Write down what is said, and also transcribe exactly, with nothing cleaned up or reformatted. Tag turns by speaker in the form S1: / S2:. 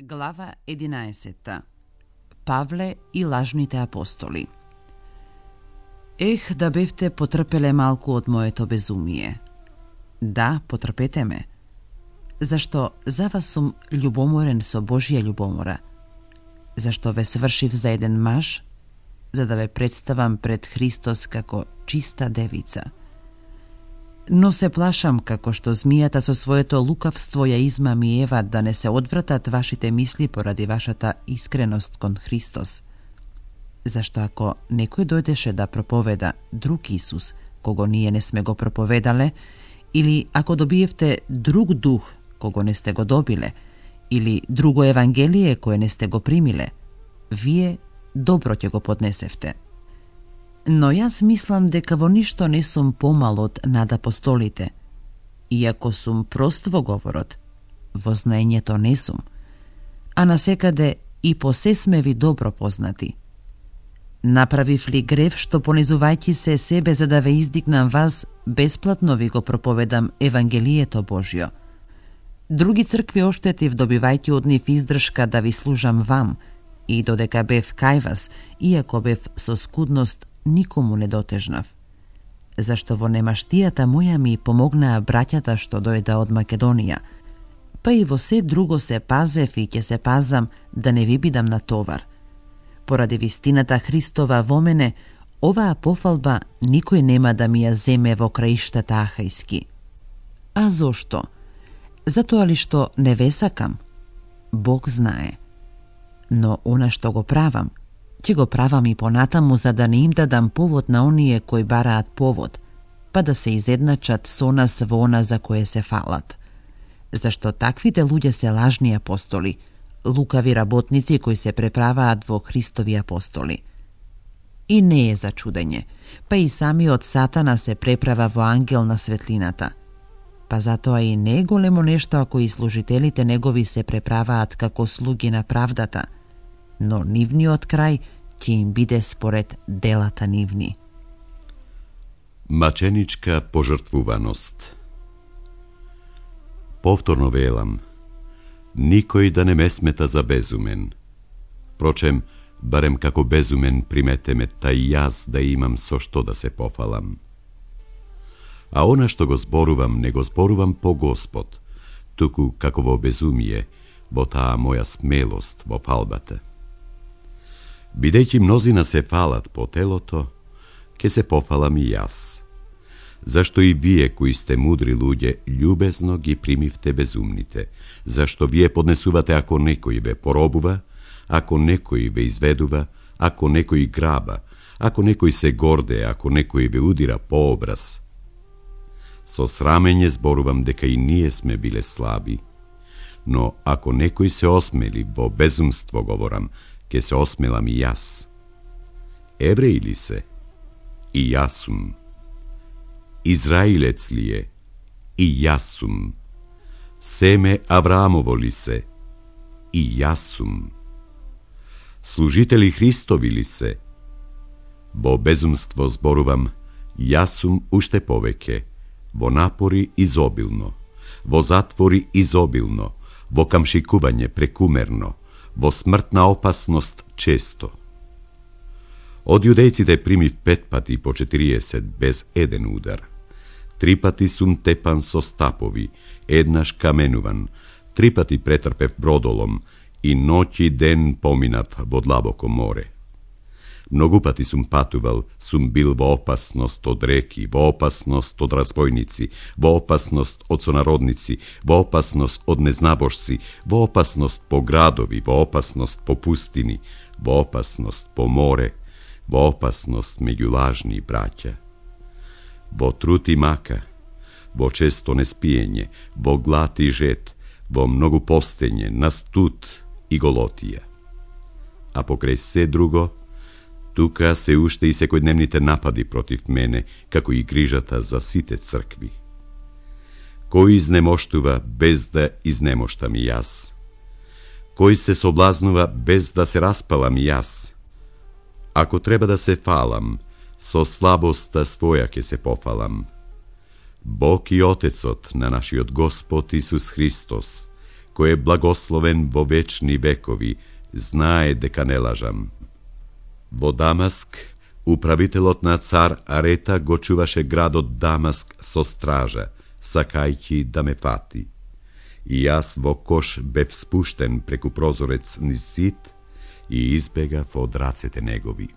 S1: Глава единаесета. Павле и лажните апостоли. Ех, да бевте потрпеле малку од моето безумие. Да, потрпете ме. Зашто за вас сум љубоморен со Божија љубомора. Зашто ве свршив за еден маж, за да ве представам пред Христос како чиста девица. Но се плашам како што змијата со своето лукавство ја измами Ева да не се одвратат вашите мисли поради вашата искреност кон Христос. Зашто ако некој дојдеше да проповеда друг Исус, кого ние не сме го проповедале, или ако добиевте друг дух, кого не сте го добиле, или друго евангелие кое не сте го примиле, вие добро ќе го поднесевте. Но јас мислам дека во ништо не сум помал од над апостолите. Иако сум прост во говорот, во знаењето не сум, а насекаде и по се сме ви добро познати. Направив ли грев што понизувајќи се себе за да ве издигнам вас, бесплатно ви го проповедам Евангелието Божјо. Други цркви оштетив добивајќи од нив издршка да ви служам вам, и додека бев кај вас, иако бев со скудност, никому не дотежнав. Зашто во немаштијата моја ми помогнаа браќата што дојда од Македонија, па и во се друго се пазев и ќе се пазам да не ви бидам на товар. Поради вистината Христова во мене, оваа пофалба никој нема да ми ја земе во краиштата ахајски. А зошто? Затоа ли што не ве сакам? Бог знае. Но она што го правам, ќе го правам и понатаму за да не им дадам повод на оние кои бараат повод, па да се изедначат со нас во она за кое се фалат. Зашто таквите луѓе се лажни апостоли, лукави работници кои се преправаат во Христови апостоли. И не е за чудење, па и самиот Сатана се преправа во ангел на светлината. Па затоа и не е големо нешто ако и служителите негови се преправаат како слуги на правдата, но нивниот крај ќе им биде според делата нивни.
S2: Маченичка пожртвуваност. Повторно велам, никој да не ме смета за безумен. Впрочем, барем како безумен приметеме тај јас да имам со што да се пофалам. А она што го зборувам, не го зборувам по Господ, туку како во безумие, во таа моја смелост во фалбата. Бидејќи мнозина се фалат по телото, ке се пофалам и јас. Зашто и вие кои сте мудри луѓе, љубезно ги примивте безумните, зашто вие поднесувате ако некој ве поробува, ако некој ве изведува, ако некој граба, ако некој се горде, ако некој ве удира по образ. Со срамење зборувам дека и ние сме биле слаби, но ако некој се осмели, во безумство говорам, ке се осмелам и јас. Евреј ли се? И јас сум. Израилец ли е? И јас сум. Семе Авраамово ли се? И јас сум. Служители Христови ли се? Во безумство зборувам, јас сум уште повеќе, во напори изобилно, во затвори изобилно, во камшикување прекумерно, во смртна опасност често. Од јудејците примив пет пати по четириесет без еден удар. Три пати сум тепан со стапови, еднаш каменуван, три пати претрпев бродолом и ноќ и ден поминав во длабоко море. Многу пати сум патувал, сум бил во опасност од реки, во опасност од разбойници, во опасност од сонародници, во опасност од незнабожци, во опасност по градови, во опасност по пустини, во опасност по море, во опасност меѓу лажни браќа. Во труд и мака, во често неспиење, во глад и жет, во многу постење, на студ и голотија. А покрај се друго, тука се уште и секојдневните напади против мене, како и грижата за сите цркви. Кој изнемоштува без да изнемоштам и јас? Кој се соблазнува без да се распалам и јас? Ако треба да се фалам, со слабоста своја ќе се пофалам. Бог и Отецот на нашиот Господ Исус Христос, ko je blagosloven vo večni vekovi, znaje deka ne lažam. Vo Damask, upravitelotna car Areta go čuvaše grad od Damask so straža, sakajki da me fati. I jas vo koš bev spušten preku prozorec niz sit i izbega vo dracete negovi.